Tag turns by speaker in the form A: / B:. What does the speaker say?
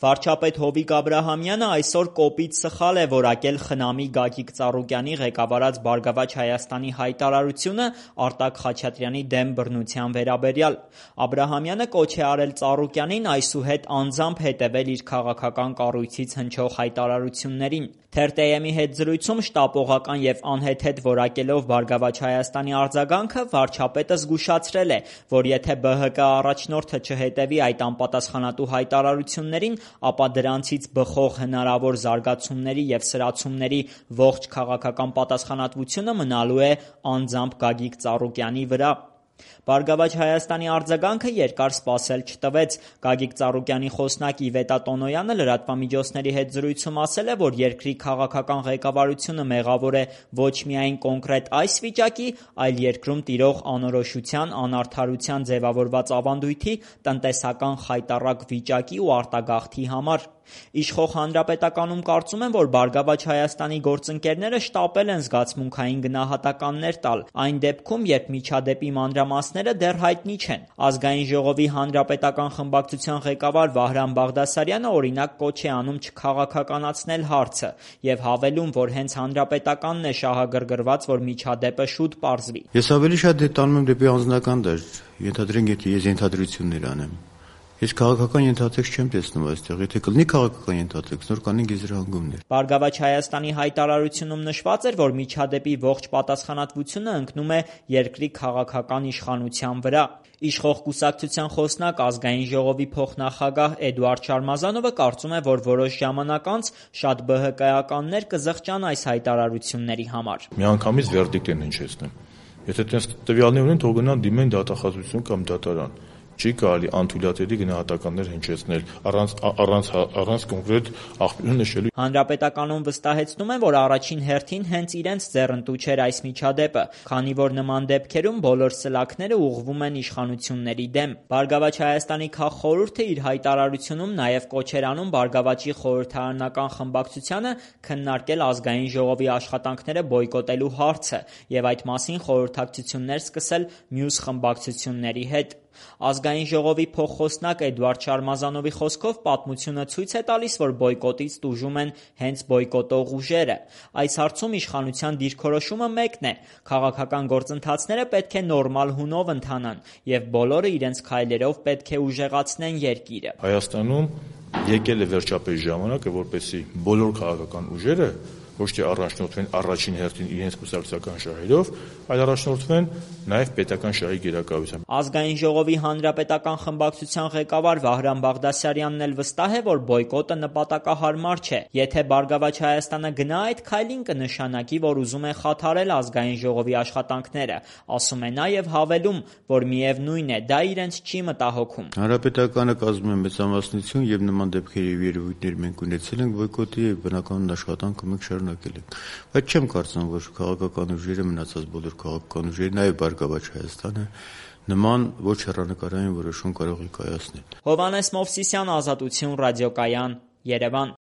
A: Վարչապետ Հովիկ Աբրահամյանը այսօր կոպիտ սխալ է որակել ԽՆԱՄ-ի Գագիկ Ծառուկյանի ղեկավարած «Բարգավաճ Հայաստանի» հայտարարությունը Արտակ Խաչատրյանի դեմ բռնության վերաբերյալ։ Աբրահամյանը կոչ է արել Ծառուկյանին այսուհետ անձամբ հետևել իր քաղաքական կառույցից հնչող հայտարարություններին։ Թերթ-am-ի հետ զրույցում շտապողական և անհեթեթ որակելով «Բարգավաճ Հայաստանի» արձագանքը վարչապետը զգուշացրել է, որ եթե ԲՀԿ առաջնորդը չհետևի այդ անպատասխանատու հայտարարություններին, ապա դրանցից բխող հնարավոր զարգացումների և սրացումների ողջ քաղաքական պատասխանատվությունը մնալու է անձամբ Գագիկ Ծառուկյանի վրա։ «Բարգավաճ Հայաստանի» արձագանքը երկար սպասել չտվեց։ Գագիկ Ծառուկյանի խոսնակ Իվետա Տոնոյանը լրատվամիջոցների հետ զրույցում ասել է, որ երկրի քաղաքական ղեկավարությունը մեղավոր է ոչ միայն կոնկրետ այս վիճակի, այլ երկրում տիրող անորոշության, անարդարության ձևավորված ավանդույթի, տնտեսական խայտառակ վիճակի ու արտագաղթի համար։ Իշխող Հանրապետականում կարծում են, որ «Բարգավաճ Հայաստանի» գործընկերները շտապել են զգացմունքային գնահատականներ տալ, այն դեպքում, երբ միջադեպի մանրամասները դեռ հայտնի չեն։ Ազգային ժողովի հանրապետական խմբակցության ղեկավար Վահրամ Բաղդասարյանը օրինակ կոչ է անում չքաղաքականացնել հարցը և հավելում, որ հենց Հանրապետականն է շահագրգռված, որ միջադեպը շուտ պարզվի։
B: Ես ավելի շատ տանում եմ դեպի անձնական դաշտ, ենթադրենք, եթե ես ենթադրություններ անեմ։ Ես քաղաքական ենթատեքստ չեմ տեսնում այստեղ, եթե կլինի քաղաքական ենթատեքստ, նոր կանենք եզրահանգումներ։
A: «Բարգավաճ Հայաստանի» հայտարարությունում նշված էր, որ միջադեպի ողջ պատասխանատվությունը ընկնում է երկրի քաղաքական իշխանության վրա։ Իշխող կուսակցության խոսնակ, Ազգային ժողովի փոխնախագահ Էդուարդ Շարմազանովը կարծում է, որ որոշ ժամանակ անց շատ ԲՀԿ-ականներ կզղջան այս հայտարարությունների համար։
C: Միանգամից վերդիկտ են հնչեցնում։ Եթե տես տվյալներ ունեն, թող գնան դիմեն դատախազություն կամ դատարան։ Չի կարելի անթույլատրելի գնահատականներ հնչեցնել առանց կոնկրետ աղբյուրը նշելու։
A: Հանրապետականում վստահեցնում են, որ առաջին հերթին հենց իրենց ձեռնտու չէր այս միջադեպը, քանի որ նման դեպքերում բոլոր սլաքները ուղղվում են իշխանությունների դեմ։ «Բարգավաճ Հայաստանի» քաղխորհուրդը իր հայտարարությունում նաև կոչ էր անում «Բարգավաճի» խորհրդարանական խմբակցությանը քննարկել Ազգային ժողովի աշխատանքները բոյկոտելու հարցը և այդ մասին խորհրդակցություններ սկսել մյուս խմբակցությունների հետ։ Ազգային ժողովի փոխխոսնակ Էդուարդ Շարմազանովի խոսքով պատմությունը ցույց է տալիս, որ բոյկոտից տուժում են հենց բոյկոտող ուժերը։ Այս հարցում իշխանության դիրքորոշումը մեկն է՝ քաղաքական գործընթացները պետք է նորմալ հունով ընթանան, և բոլորը իրենց քայլերով պետք է ուժեղացնեն երկիրը։
C: Հայաստանում եկել է վերջապես ժամանակը, որպեսզի բոլոր քաղաքական ուժերը ոչ թե առաջնորդվեն առաջին հերթին իրենց կուսակցական շահերով, այլ առաջնորդվեն նաև պետական շահի գերակայությամբ։
A: Ազգային ժողովի հանրապետական խմբակցության ղեկավար Վահրամ Բաղդասարյանն էլ վստահ է, որ բոյկոտը նպատակահարմար չէ։ Եթե «Բարգավաճ Հայաստանը» գնա այդ քայլին, կնշանակի, որ ուզում է խաթարել Ազգային ժողովի աշխատանքները, ասում է նա և հավելում, որ միևնույն է, դա իրենց չի մտահոգում։
B: Հանրապետականը կազմում է մեծամասնություն և նման դեպքեր և երևույթներ մենք ունեցել ենք բոյկոտի և բնականon աշխատանքը մենք շարունակել ենք։ Բայց չեմ կարծում, որ քաղաքական ուժերը, մնացած բոլոր քաղաքական ուժերը, նաև «Բարգավաճ Հայաստանը» նման ոչ հեռանկարային որոշում կարող է կայացնել։
A: Հովհաննես Մովսիսյան, Ազատություն ռադիոկայան, Երևան։